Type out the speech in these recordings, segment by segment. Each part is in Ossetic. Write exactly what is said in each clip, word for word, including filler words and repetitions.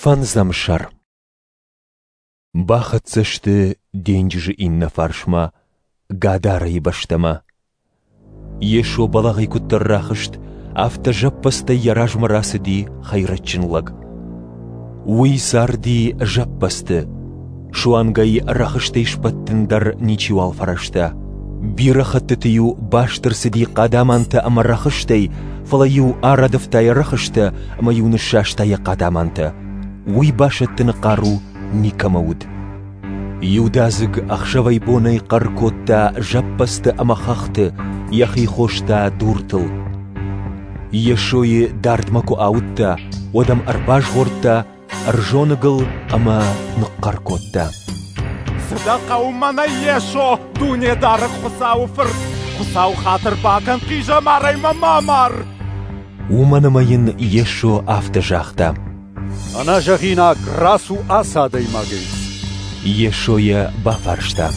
Фӕндзӕм сӕр. Бахӕццӕ сты денджызы иннӕ фарсмӕ, Гадарайы бӕстӕмӕ. Йесо бӕлӕгъӕй куыддӕр рахызт, афтӕ зӕппӕдзтӕй йӕ размӕ рацыди хӕйрӕджджын лӕг. Уый царди зӕппӕдзты, суанг ӕй рӕхыстӕй сбӕттын дӕр ничиуал фӕрӕзта. Бирӕ хӕттыты-иу баст ӕрцыди хъадамантӕ ӕмӕ рӕхыстӕй, фӕлӕ-иу арӕдывта йӕ рӕхыстӕ ӕмӕ-иу ныссаста йӕ хъадамантӕ. Уый басӕттыны хъару никӕмӕ уыд. Иудадзыг ӕхсӕвӕй-бонӕй хъӕр кодта зӕппӕдзты ӕмӕ хӕхты, йӕхи хоста дуртыл. Йесойы дардмӕ куы ауыдта, уӕд ӕм ӕрбазгъордта, ӕрзоныгыл ӕмӕ ныхъхъӕр кодта: Цы дӕ хъӕуы мӕнӕй, Йесо, Дунедарӕг Хуыцауы Фырт? Хуыцау хатыр бакӕн, хъизӕмарӕй мӕ ма мар! Уымӕн ӕмӕ йын Йесо афтӕ загъта: Ӕнӕзӕгъинаг рацу ацы адӕймагӕй. Йесо йӕ бафарста: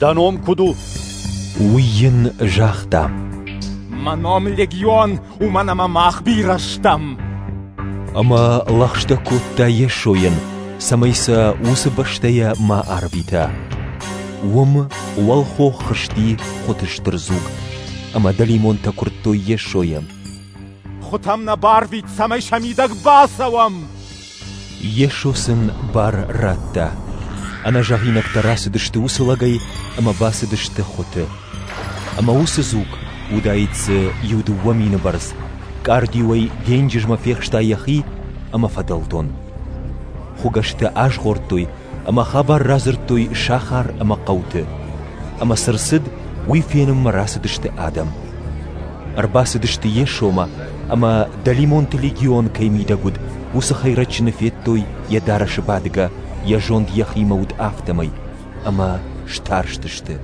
Дӕ ном куыд у? Уый йын загъта: Мӕ ном Легион, уымӕн ӕмӕ мах бирӕ стӕм. Ӕмӕ лӕгъстӕ кодта Йесойӕн, цӕмӕй сӕ уыцы бӕстӕйӕ ма арвита. Уым уӕлхох хызти хуыты стыр дзуг, ӕмӕ дӕлимонтӕ куырдтой Йесойӕ: Хуытӕм нӕ барвит, цӕмӕй сӕ мидӕг бацӕуӕм. Йесо сын бар радта. Ӕнӕзӕгъинӕгтӕ рацыдысты уыцы лӕгӕй ӕмӕ бацыдысты хуыты. Ӕмӕ уыцы дзуг, уыдаид дзы иу-дыууӕ мины бӕрц, къардиуӕй денджызмӕ фехста йӕхи ӕмӕ фӕдӕлдон. Хуыгӕстӕ азгъордтой ӕмӕ хабар радзырдтой сахар ӕмӕ хъӕуты. Ӕмӕ цы рцыд, уый фенынмӕ рацыдысты адӕм. Ӕрбацыдысты Йесомӕ ӕмӕ дӕлимонты легион кӕй мидӕг уыд, уыцы хӕйрӕджджыны федтой йӕ дарӕсы бадгӕ, йӕ зонд йӕхимӕ уыд афтӕмӕй, ӕмӕ старстысты.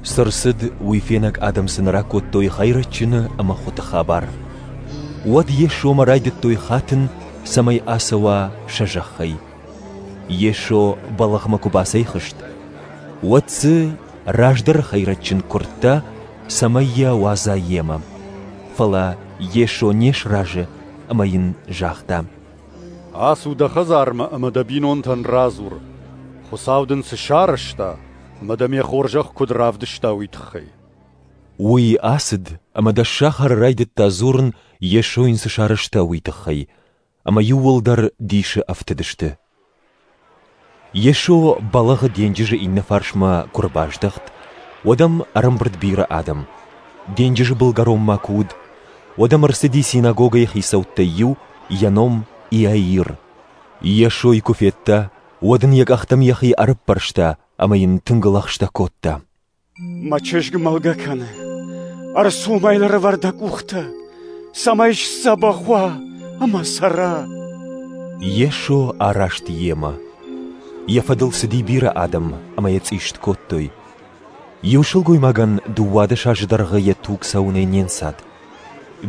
Цы рцыд, уый фенӕг адӕм сын ракодтой хӕйрӕджджыны ӕмӕ хуыты хабар. Уӕд Йесомӕ райдыдтой хатын, цӕмӕй ацӕуа сӕ зӕххӕй. Йесо бӕлӕгъмӕ куы бацӕйхызт, уӕд дзы раздӕры хӕйрӕджджын куырдта, цӕмӕй йӕ уадза йемӕ. Фӕлӕ Йесо не сразы ӕмӕ йын загъта: Ацу дӕ хӕдзармӕ ӕмӕ дӕ бинонтӕн радзур, Хуыцау дын цы сарӕзта ӕмӕ дӕм йӕ хорзӕх куыд равдыста, уый тыххӕй. Уый ацыд ӕмӕ дӕссахары райдыдта дзурын, Йесо йын цы сарӕзта, уый тыххӕй, ӕмӕ иууылдӕр дисы ӕфтыдысты. Йесо бӕлӕгъы денджызы иннӕ фарсмӕ куы ӕрбаздӕхт, уӕд ӕм ӕрӕмбырд бирӕ адӕм. Денджызы былгӕронмӕ куы уыд, уӕд ӕм ӕрцыди синагогӕйы хицӕуттӕй иу, йӕ ном Иаир. Йесойы куы федта, уӕд ын йӕ къӕхтӕм йӕхи ӕрӕппӕрста ӕмӕ йын тынг лӕгъстӕ кодта: Мӕ чызг мӕлгӕ кӕны, ӕрцу ӕмӕ йыл ӕрӕвӕр дӕ къухтӕ, цӕмӕй сдзӕбӕх уа ӕмӕ цӕра. Йесо араст йемӕ. Йӕ фӕдыл цыди бирӕ адӕм ӕмӕ йӕ цъист кодтой. Иу сылгоймагӕн дыууадӕс азы дӕргъы йӕ туг цӕуынӕй не нцад.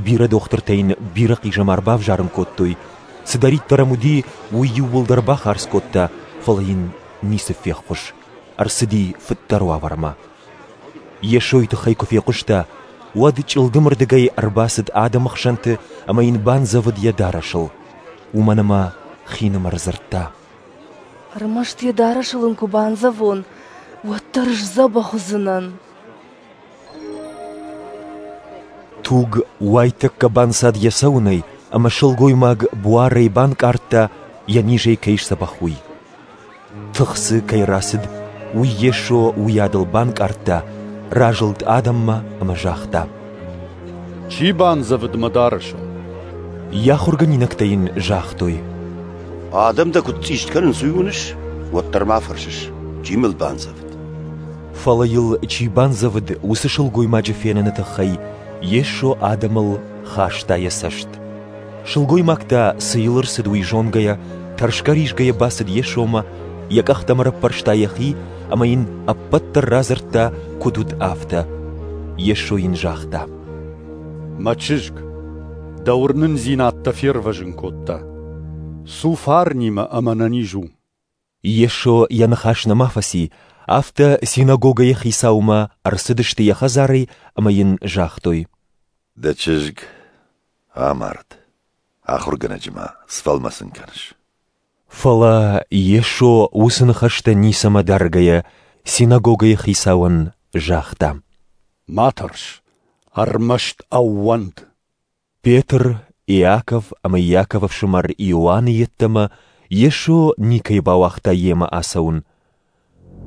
Бирӕ дохтыртӕ йын бирӕ хъизӕмар бавзарын кодтой, цыдӕриддӕр ӕм уыди, уый иууылдӕр бахардз кодта, фӕлӕ йын ницы феххуыс, ӕрцыди фыддӕр уавӕрмӕ. Йесойы тыххӕй куы фехъуыста, уӕд чъылдымырдыгӕй ӕрбацыд адӕмы хсӕнты ӕмӕ йын бандзӕвыд йӕ дарӕсыл, уымӕн ӕмӕ хинымӕр дзырдта: Ӕрмӕст йӕ дарӕсыл ын куы бандзӕвон, уӕддӕр сдзӕбӕх уыдзынӕн. Туг уайтӕккӕ банцад йӕ цӕуынӕй, ӕмӕ сылгоймаг буарӕй банкъардта, йӕ низӕй кӕй сдзӕбӕх, уый. Тых дзы кӕй рацыд, уый Йесо уыйадыл банкъардта, разылд адӕммӕ ӕмӕ загъта: Чи бандзӕвыд мӕ дарӕсыл? Йӕ ахуыргӕнинӕгтӕ йын загътой: Адӕм дӕ куыд цъист кӕнынц, уый уыныс, уӕддӕр ма фӕрсыс, чи мыл бандзӕвыд? Фӕлӕ йыл чи бандзӕвыд, уыцы сылгоймаджы феныны тыххӕй Йесо адӕмыл хаста йӕ цӕст. Сылгоймаг та, цы йыл ӕрцыд, уый зонгӕйӕ, тӕрсгӕ-ризгӕйӕ бацыд Йесомӕ, йӕ къӕхтӕм ӕрӕппӕрста йӕхи ӕмӕ йын ӕппӕт дӕр радзырдта, куыд уыд, афтӕ. Йесо йын загъта: Мӕ чызг, дӕ уырнындзинад дӕ фервӕзын кодта. Цу фарнимӕ ӕмӕ ӕнӕниз у. Йесо йӕ ныхас нӕма фӕци, афтӕ синагогӕйы хицаумӕ ӕрцыдысты йӕ хӕдзарӕй ӕмӕ йын загътой: Дӕ чызг амард, ахуыргӕнӕджы ма сфӕлмӕцын кӕныс. Фӕлӕ Йесо уыцы ныхӕстӕ ницӕмӕ даргӕйӕ синагогӕйы хицауӕн загъта: Ма тӕрс, ӕрмӕст ӕууӕнд. Петр, Иаков ӕмӕ Иаковы ӕфсымӕр Иоанны йеддӕмӕ Йесо никӕй бауагъта йемӕ ацӕуын.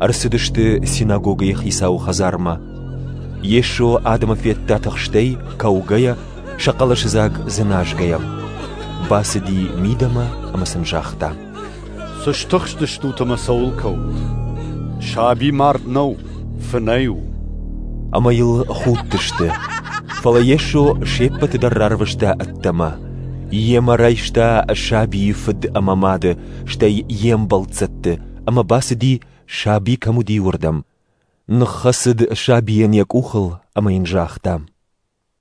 Ӕрцыдысты синагогӕйы хицауы хӕдзармӕ. Йесо адӕмы федта тыхстӕй, кӕугӕйӕ, сӕ хъӕлӕсыдзаг дзыназгӕйӕ. Бацыди мидӕмӕ ӕмӕ сын загъта: Цы стыхстыстут ӕмӕ цӕуыл кӕут? Саби мард нӕу, фынӕй у. Ӕмӕ йыл худтысты. Фӕлӕ Йесо се ппӕты дӕр рарвыста ӕддӕмӕ. Йемӕ райста сабийы фыд ӕмӕ мады, стӕй йе мбӕлццӕтты, ӕмӕ бацыди, саби кӕм уыди, уырдӕм. Ныххӕцыд сабийӕн йӕ къухыл ӕмӕ йын загъта: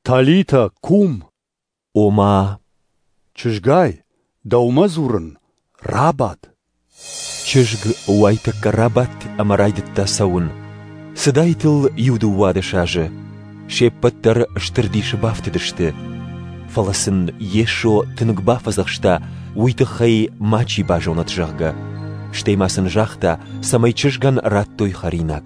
Талита, кум! Ома, Чызгай, дӕумӕ дзурын, рабад. Чызг уайтӕккӕ рабадт ӕмӕ райдыдта цӕуын. Цыдаид ыл иу дыууадӕс азы. Се ппӕт дӕр стыр дисы бафтыдысты. Фӕлӕ сын Йесо тынг бафӕдзӕхста, уый тыххӕй мачи базонӕд, зӕгъгӕ. Стӕй ма сын загъта, цӕмӕй чызгӕн радтой хӕринаг.